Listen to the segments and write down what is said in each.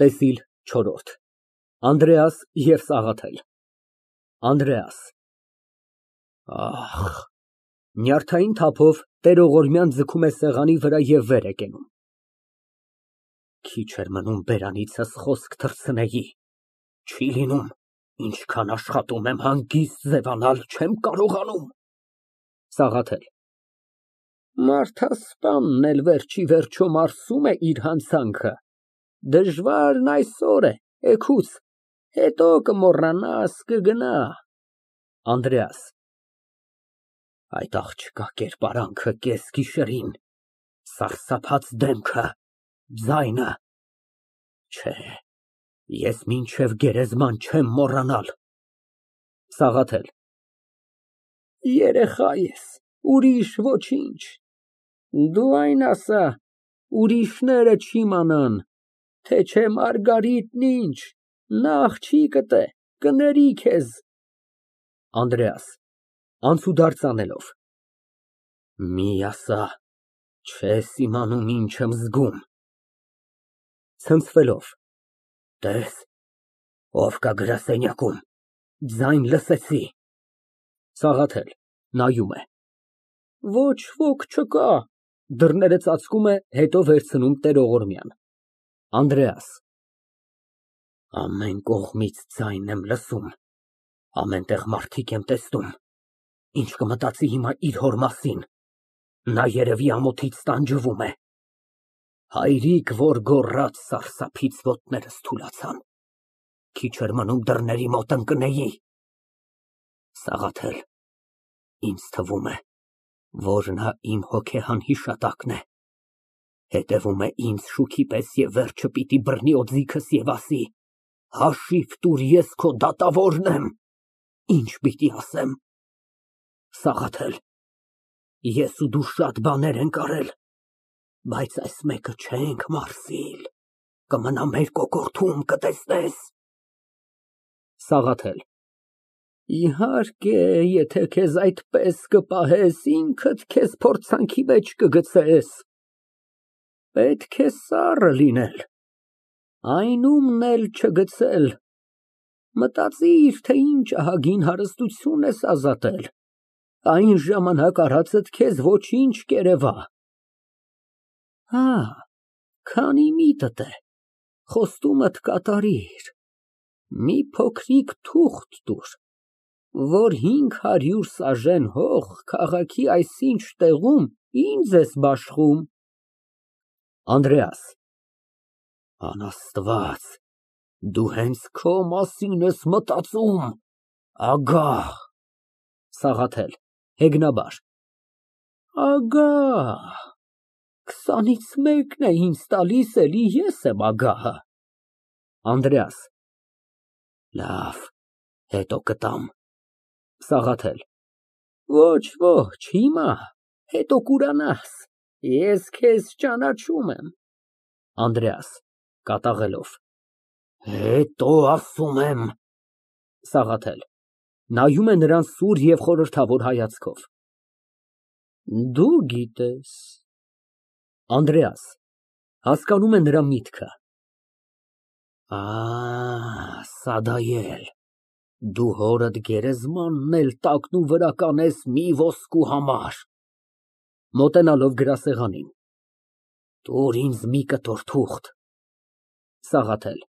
ՏԵՍԻԼ ՉՈՐՐՈՐԴ ԱՆԴՐԵԱՍ ԵՎ ՍԱՂԱԹԵԼ ԱՆԴՐԵԱՍ ֊ Ահ։ Նյարդային թափով տերողորմյան ձգում է սեղանի վրա և վեր է կենում։ Քիչ էր մնում բերանիցս խոսք թռցնեի, չի լինում, ինչքան աշխատում եմ հանգիստ ձևանալ, չեմ կարողանում։ ՍԱՂԱԹԵԼ ֊ Մարդասպանն էլ վերջիվերջո մարսում է իր հանցանքը, դժվարն այսօր է, էգուց, հետո կմոռանաս, կգնա։ ԱՆԴՐԵԱՍ ֊ Այդ աղջկա կերպարանքը կեսգիշերին, սարսափած դեմքը, ձայնը, չէ, ես մինչև գերեզման չեմ մոռանալ։ ՍԱՂԱԹԵԼ ֊ Երեխա ես, ուրիշ ոչինչ, դու այն ասա, ուրիշները չիմանան, թե չէ Մարգարիտն ինչ, նա աղջիկդ է, կների քեզ։ ԱՆԴՐԵԱՍ ֊ (Անցուդարձ անելով) Մի ասա, չես իմանում ինչ եմ զգում։ (Ցնցվելով) Տես, ով կա գրասենյակում, ձայն լսեցի։ ՍԱՂԱԹԵԼ ֊ (Նայում է) Ոչ ոք չկա։ (Դռները ծածկում է, հետո վերցնում տերողորմյան)։ ԱՆԴՐԵԱՍ ֊ Ամեն կողմից ձայն եմ լսում, ամեն տեղ մարդիկ եմ տեսնում, ինչ կմտածի հիմա իր հոր մասին, նա երևի ամոթից տանջվում է։ Հայրիկ, որ գոռաց, սարսափից ոտներս թուլացան, քիչ էր մնում դռների մոտ ընկնեի։ Սաղաթել, ինձ թվում է, որ նա իմ հոգեհան հիշատակն է, հետևում է ինձ շուքի պես և վերջը պիտի բռնի օձիքս և ասի. հաշիվ տուր, ես քո դատավորն եմ, ինչ պիտի ասեմ։ Սաղաթել, ես ու դու շատ բաներ ենք արել, բայց այս մեկը չենք մարսիլ, կմնա մեր կոկորդում, կտեսնես։ ՍԱՂԱԹԵԼ ֊ Իհարկե, եթե քեզ այդպես կպահես, ինքդ քեզ փորձանքի մեջ կգցես։ Պետք է սառը լինել, այն ումն էլ չգցել, մտածիր, թե ինչ ահագին հարստություն ես ազատել, այն ժամանակ արածդ քեզ ոչինչ կերևա։ Հա, քանի միտդ է, խոստումդ կատարիր, մի փոքրիկ թուղթ տուր, որ 500 սաժեն հող քաղաքի այսինչ տեղում ինձ ես բաշխում։ ԱՆԴՐԵԱՍ ֊ Անաստված, դու հենց քո մասին ես մտածում, ագահ։ ՍԱՂԱԹԵԼ ֊ (Հեգնաբար) Ագահ, 20-ից մեկն է ինձ տալիս, էլի ես եմ ագահը։ ԱՆԴՐԵԱՍ ֊ Լավ, հետո կտամ։ ՍԱՂԱԹԵԼ ֊ Ոչ, հիմա, հետո կուրանաս, ես քեզ ճանաչում եմ։ ԱՆԴՐԵԱՍ ֊ (Կատաղելով) Հետո ասում եմ։ ՍԱՂԱԹԵԼ ֊ (Նայում է նրան սուր և խորհրդավոր հայացքով) Դու գիտես։ ԱՆԴՐԵԱՍ ֊ (Հասկանում է նրա միտքը) Սադայել, դու հորդ գերեզմանն էլ տակնուվրա կանես մի ոսկու համար։ (Մոտենալով գրասեղանին) Տուր ինձ մի կտոր թուղթ։ ՍԱՂԱԹԵԼ ֊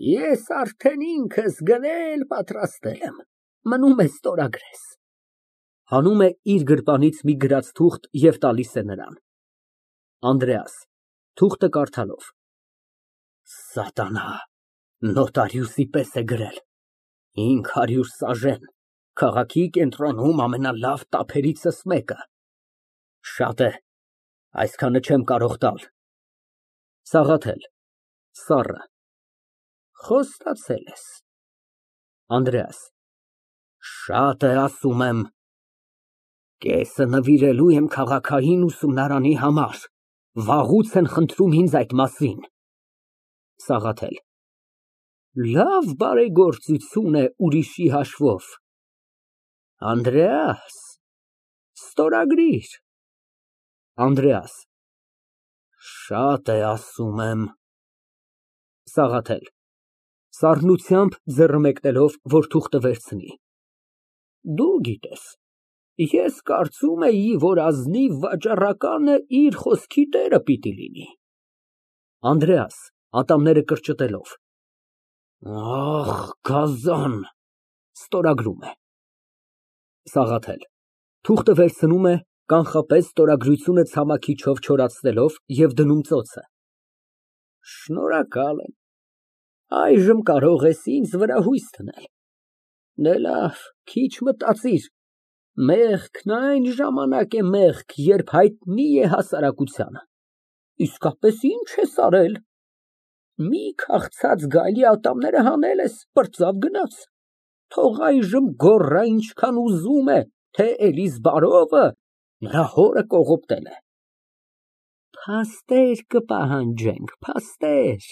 Ես արդեն ինքս գնել պատրաստել եմ, մնում է ստորագրես։ (Հանում է իր գրպանից մի գրած թուղթ և տալիս է նրան)։ ԱՆԴՐԵԱՍ ֊ (Թուղթը կարդալով) Սատանա, նոտարիուսի պես է գրել, 500 սաժեն, քաղաքի կենտրոնում ամենալավ տափերիցս մեկը։ Շատ է, այսքանը չեմ կարող տալ։ ՍԱՂԱԹԵԼ ֊ (Սառը) Խոստացել ես։ ԱՆԴՐԵԱՍ ֊ Շատ է, ասում եմ։ Կեսը նվիրելու եմ քաղաքային ուսումնարանի համար, վաղուց են խնդրում ինձ այդ մասին։ ՍԱՂԱԹԵԼ ֊ Լավ բարեգործություն է ուրիշի հաշվով։ Անդրեաս, ստորագրիր։ ԱՆԴՐԵԱՍ ֊ Շատ է, ասում եմ։ ՍԱՂԱԹԵԼ ֊ (Սառնությամբ ձեռը մեկնելով, որ թուղթը վերցնի) Դու գիտես, ես կարծում էի, որ ազնիվ վաճառականը իր խոսքի տերը պիտի լինի։ ԱՆԴՐԵԱՍ ֊ (Ատամները կրճտելով) Ահ, գազան։ (Ստորագրում է)։ ՍԱՂԱԹԵԼ ֊ (Թուղթը վերցնում է, կանխապես ստորագրությունը ցամաքիչով չորացնելով և դնում ծոցը) Շնորհակալ եմ, այժմ կարող ես ինձ վրա հույս դնել։ Դե լավ, քիչ մտածիր, մեղքն այն ժամանակ է մեղք, երբ հայտնի է հասարակությանը։ Իսկապես ինչ ես արել։ Մի քաղցած գայլի ատամները հանել ես, պրծավ գնաց։ Թող այժմ գոռա ինչքան ուզում է, թե Էլիզբարովը նրա հորը կողոպտել է։ Փաստեր կպահանջենք, փաստեր։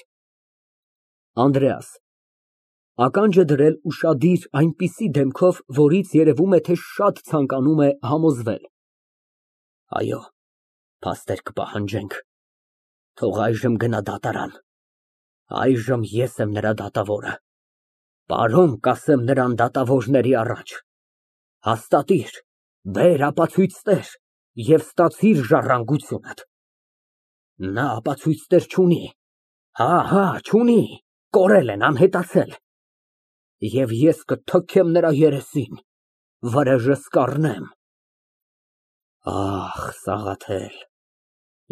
ԱՆԴՐԵԱՍ ֊ (Ականջը դրել ուշադիր այնպիսի դեմքով, որից երևում է, թե շատ ցանկանում է համոզվել) Այո, փաստեր կպահանջենք, թող այժմ գնա դատարան, այժմ ես եմ նրա դատավորը, պարոն կասեմ նրան դատավորների առաջ, հաստատիր, բեր ապացույցներ և ստացիր ժառանգությունդ։ Նա ապացույցներ չունի, հա, չունի, կորել են, անհետացել, և ես կթքեմ նրա երեսին, վրեժս կառնեմ։ Ախ, Սաղաթել,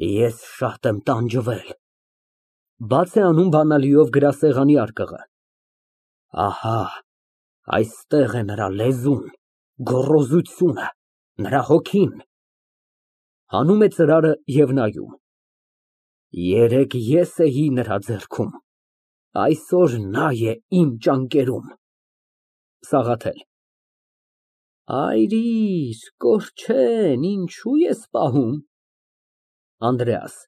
ես շատ եմ տանջվել։ (Բաց է անում բանալիով գրասեղանի արկղը) Ահա, այստեղ է նրա լեզուն, գոռոզությունը, նրա հոգին։ (Հանում է ծրարը և նայում) Երեկ ես էի նրա ձեռքում, այսօր նա է իմ ճանկերում։ ՍԱՂԱԹԵԼ ֊ Այրիր, կորչեն, ինչու ես պահում։ ԱՆԴՐԵԱՍ ֊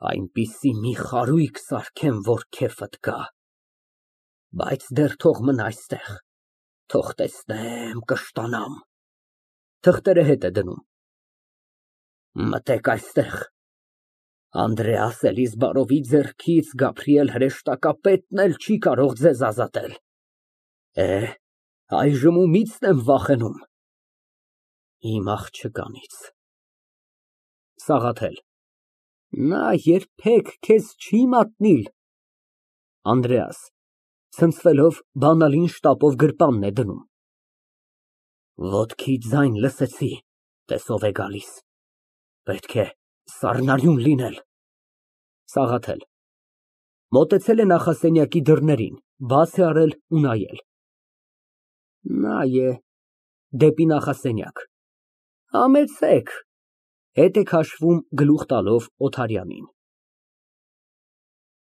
Այնպիսի մի խարույկ սարքեմ, որ քեֆդ գա, բայց դեռ թող մնա այստեղ, թող տեսնեմ, կշտանամ։ (Թղթերը հետ է դնում) Մտեք այստեղ, Անդրեաս Էլիզբարովի ձեռքից Գաբրիել հրեշտակապետն էլ չի կարող ձեզ ազատել։ Այժմ ումի՞ցն եմ վախենում։ Իմ աղջկանից։ ՍԱՂԱԹԵԼ ֊ Նա երբեք քեզ չի մատնիլ։ ԱՆԴՐԵԱՍ ֊ (Ցնցվելով, բանալին շտապով գրպանն է դնում) Ոտքի ձայն լսեցի, տես ով է գալիս, պետք է սառնարյուն լինել։ ՍԱՂԱԹԵԼ ֊ (Մոտեցել է նախասենյակի դռներին, բաց է արել ու նայել) Նա է, (Դեպի նախասենյակ) Համեցեք։ (Հետ է քաշվում գլուխ տալով Օթարյանին)։